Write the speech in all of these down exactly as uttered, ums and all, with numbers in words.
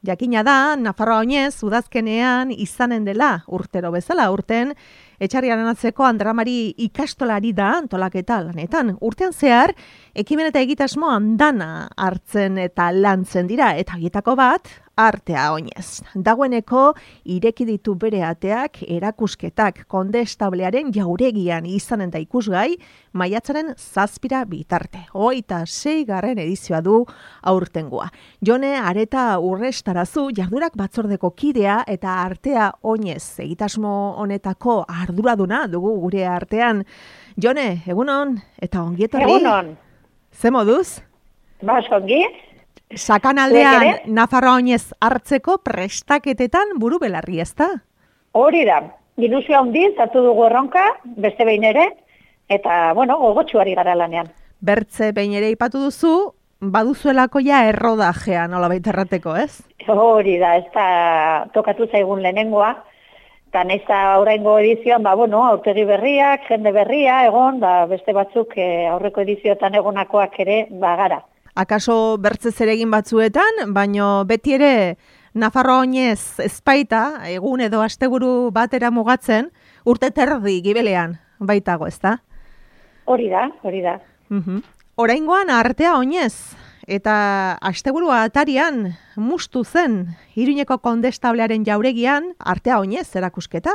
Jakina da, Nafarroa oinez, udazkenean izanen dela, urtero bezala, urten, Etxarriaren atzeko Andramari ikastolari da antolaketa lanetan. Urtean zehar, ekimen eta egitasmo andana hartzen eta lantzen dira, eta horietako bat, artea oinez. Dagoeneko, ireki ditu bere ateak, erakusketak, kondestablearen jauregian izanen da ikusgai, maiatzaren zazpira bitarte. Hogeita sei garren edizioa du aurtengoa. Jone Areta Urrestarazu, jardurak batzordeko kidea eta artea oinez egitasmo honetako arduraduna dugu gure artean. Jone, egunon eta ongietorri. Egunon. Ze moduz? Bas, ongi. Sakanaldean Nafarroa oinez hartzeko prestaketetan buru belarri, ezta? Hori da. Ilusioa handiz hartu dugu erronka, beste behin ere, eta, bueno, gogotsuari gara lanean. Bertze behin ere ipatu duzu, baduzuelako ja errodajea nolabait errateko, ez? Hori da, ez da tokatu zaigun lehenengoa, eta neza oraingo edizioan, ba, bueno, aurtegi berriak, jende berria, egon, ba, beste batzuk eh, aurreko edizioetan egonakoak ere, ba, gara. Akaso bertze zeregin batzuetan, baino beti ere Nafarroa oinez ezpaita, egun edo asteburu batera mugatzen, urte terdi gibelean baitago, ezta? Hori da, hori da. Mhm. Oraingoan artea oinez, eta asteburua atarian mustu zen, Iruñeko kondestablearen jauregian artea oinez erakusketa.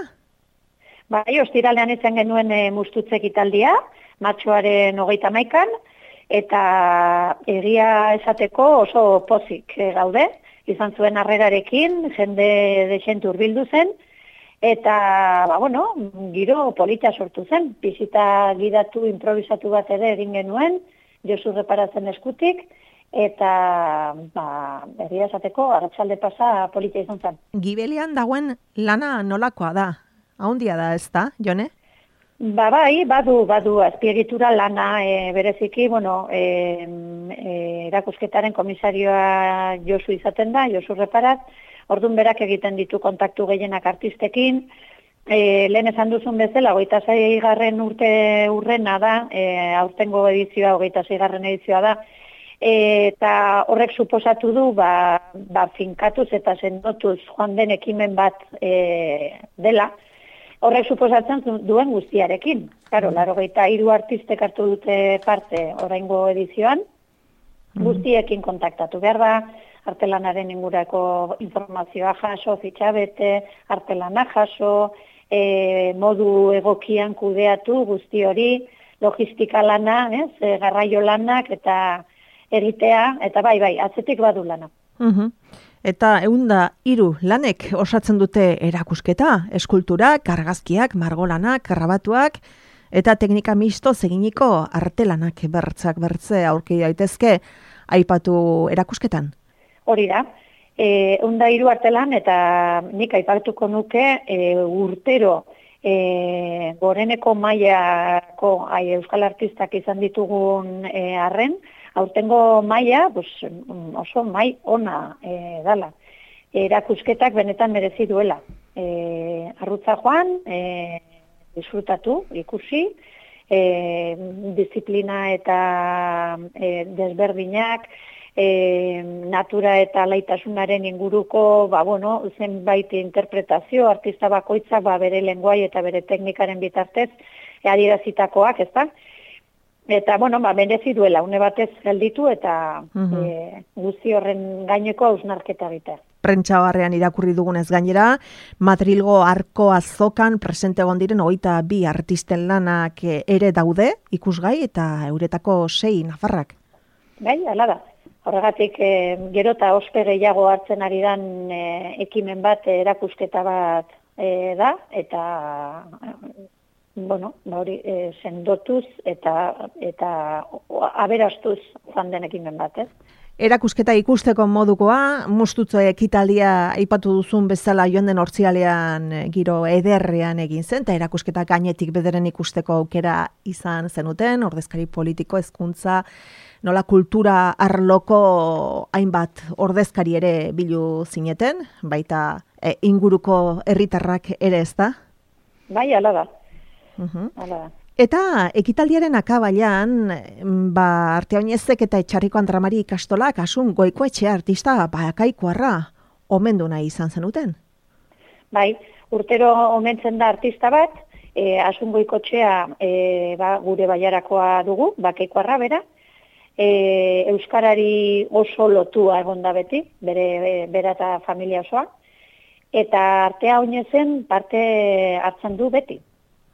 Bai, ostiralean izan genuen e, mustutze ekitaldia, martxoaren hogeita hamaikan, eta egia esateko oso pozik e, gaude, izan zuen harrerarekin, jende dexentu hurbildu zen, eta, ba, bueno, giro polita sortu zen, bisita gidatu, improvisatu bat ere egin genuen, Josu Reparatzen eskutik, eta, ba, egia esateko, arratsalde pasa polita izan zen. Gibelean dagoen lana nolakoa da? Haundia da, ez da, Jone? Ba, bai, badu, badu, azpiegitura lana e, bereziki, bueno, e, e, erakusketaren komisarioa Josu izaten da, Josu Reparat, orduan berak egiten ditu kontaktu gehienak artistekin, e, lehen esan duzun bezala, hogeita sei garren urte urrena da, e, aurtengo edizioa, hogeita sei garren edizioa da, e, eta horrek suposatu du, ba, ba, finkatuz eta sendotuz joan den ekimen bat e, dela, horrek suposatzen duen guztiarekin. Claro, laurogeita hiru artistek hartu dute parte oraingo edizioan, guztiekin kontaktatu behar da, artelanaren ingurako informazioa jaso, fitxabete, artelana jaso, e, modu egokian kudeatu guzti hori, logistika lana, ez, e, garraio lanak eta egitea, eta bai, bai, atzetik badu lana. Mhm. Eta eunda hiru lanek osatzen dute erakusketa, eskulturak, argazkiak, margolanak, grabatuak, eta teknika misto eginiko artelanak bertzak bertze aurki daitezke aipatu erakusketan. Hori da, e, eunda hiru artelan eta nik aipatuko nuke e, urtero e, goreneko mailako ai, euskal artistak izan ditugun e, arren, aurtengo maila, pues, oso mai ona e, dala. Erakusketak benetan merezi duela. E, arrutza joan, e, disfrutatu, ikusi, e, disiplina eta e, desberdinak, e, natura eta laitasunaren inguruko, ba, bueno, zenbait interpretazio, artista bakoitzak ba, bere lenguai eta bere teknikaren bitartez, e, adierazitakoak, ez da? Eta, bueno, ba, merezi duela, une batez gelditu eta uh-huh. e, guzti horren gaineko hausnarketa egitea. Prentsa barrean irakurri dugunez gainera, Madrilgo Arko Azokan presente egon diren hogeita bi artisten lanak ere daude, ikusgai eta euretako sei nafarrak. Bai, hala da. Horregatik, e, gero eta ospe gehiago hartzen ari dan e, ekimen bat, erakusketa bat e, da, eta... bueno, ba hori e, sendotuz eta eta aberastuz joan den ekimen bat, ez? Erakusketa ikusteko modukoa, mustutze ekitaldia aipatu duzun bezala joan den hortzialean giro ederrean egin zen, eta erakusketa gainetik bederen ikusteko aukera izan zenuten, ordezkari politiko, hezkuntza, nola kultura arloko hainbat ordezkari ere bilu zineten, baita e, inguruko herritarrak ere, ez da? Bai, hala da. Uh-huh. Eta ekitaldiaren akabailan, ba, Artea Oinezek eta Etxarriko Andramari ikastolak asun Goikoetxe artista bakaikoarra omendu nahi izan zenuten. Bai, urtero omentzen da artista bat, e, Asungoikotxea e, ba, gure baiarakoa dugu, Bakeikoarra bera, e, euskarari oso lotua egon da beti, bere bera eta familia osoa, eta artea oinezen parte hartzen du beti.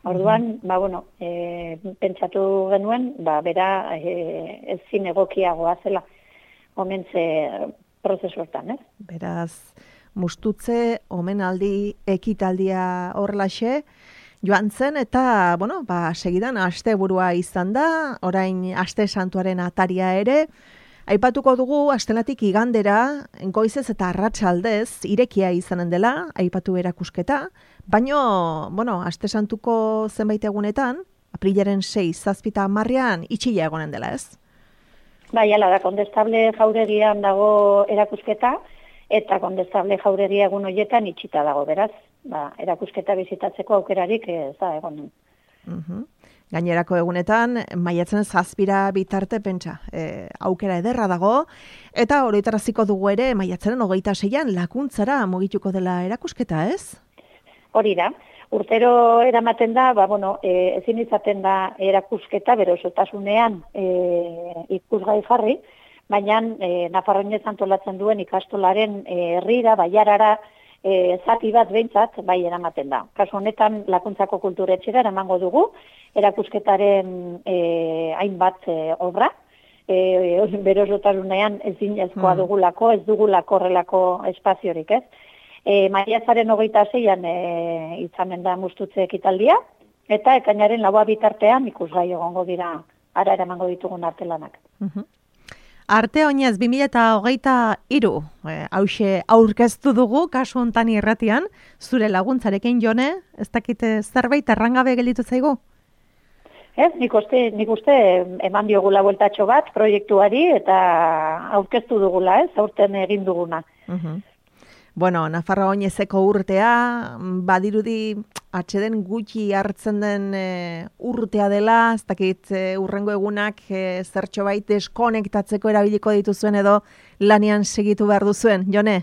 Orduan, ba, bueno, e, pentsatu genuen, ba, bera e, ezin egokiagoa zela omentze prozesu hortan, eh? Beraz, mustutze, omenaldi, ekitaldia horrelaxe, joan zen, eta, bueno, ba, segidan, asteburua izan da, orain aste santuaren ataria ere, aipatuko dugu astelatik igandera, goizez eta arratsaldez irekia izanen dela, aipatu erakusketa, baino, bueno, aste santuko zenbait egunetan, aprilaren sei, zazpita hamarrean, itxila egonen dela, ez? Bai, ala da, Kondestable jauregian dago erakusketa, eta Kondestable jauregia egun horietan itxita dago, beraz, ba, erakusketa bizitatzeko aukerarik ez da egonen. Uh-huh. Gainerako egunetan, maiatzen zazpira bitarte pentsa, e, aukera ederra dago, eta oroitaraziko dugu ere, maiatzaren hogeita seian lakuntzara mugituko dela erakusketa, ez? Hori da, urtero eramaten da, ba, bueno, e, ezin izaten da erakusketa, bero osotasunean e, ikusgai jarri, baina e, Nafarroinez antolatzen duen ikastolaren e, herrira, baiarara, e, zati bat behintzat, bai eramaten da. Kasu honetan, Lakuntzako kulturetxera eramango dugu, erakusketaren e, hainbat e, obra, e, bero osotasunean ezin ezkoa dugulako, ez dugulako horrelako espaziorik, ez? E, Maiatzaren hogeita zeian e, izanen da mustutze ekitaldia, eta ekainaren laua bitartean ikusgai egongo dira ara eramango ditugun artelanak. Uh-huh. Arte oinez bi mila hogeita hiru, e, hauxe aurkeztu dugu, kasu hontan irratian, zure laguntzarekin Jone, ez dakite zerbait errangabe gelditu zaigu? Ez, nik uste, nik uste eman diogula bueltatxo bat proiektuari eta aurkeztu dugula, ez, aurten egin duguna. Uh-huh. Bueno, Nafarroa oinezeko urtea, badirudi atxeden gutxi hartzen den e, urtea dela, ez dakit e, urrengo egunak e, zertxo bait deskonektatzeko erabiliko dituzuen edo lanean segitu behar duzuen, Jone?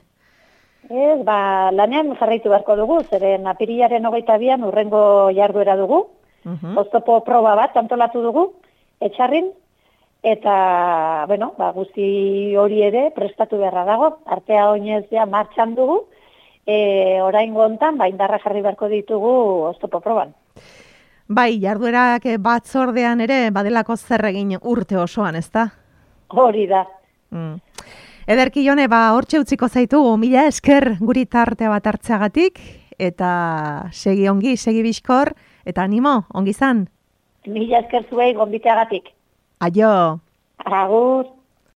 Ez, ba, lanean jarraitu beharko dugu, zeren apirilaren hogeita bian urrengo jarduera dugu, uh-huh. Oztopo proba bat antolatu dugu, etxarrin, eta, bueno, ba, guzti hori ere prestatu beharra dago, artea oinez ja martxan dugu, e, orain gontan, ba, indarra jarri beharko ditugu oztopo proban. Bai, jarduerak batzordean ere badelako zer egin urte osoan, ezta? Hori da. Mm. Ederki Jone, ba, hortxe utziko zaitugu, mila esker guri tartea bat hartzeagatik, eta segi ongi, segi bizkor, eta animo, ongi zan. Mila esker zuei gonbiteagatik. Aio. Agur.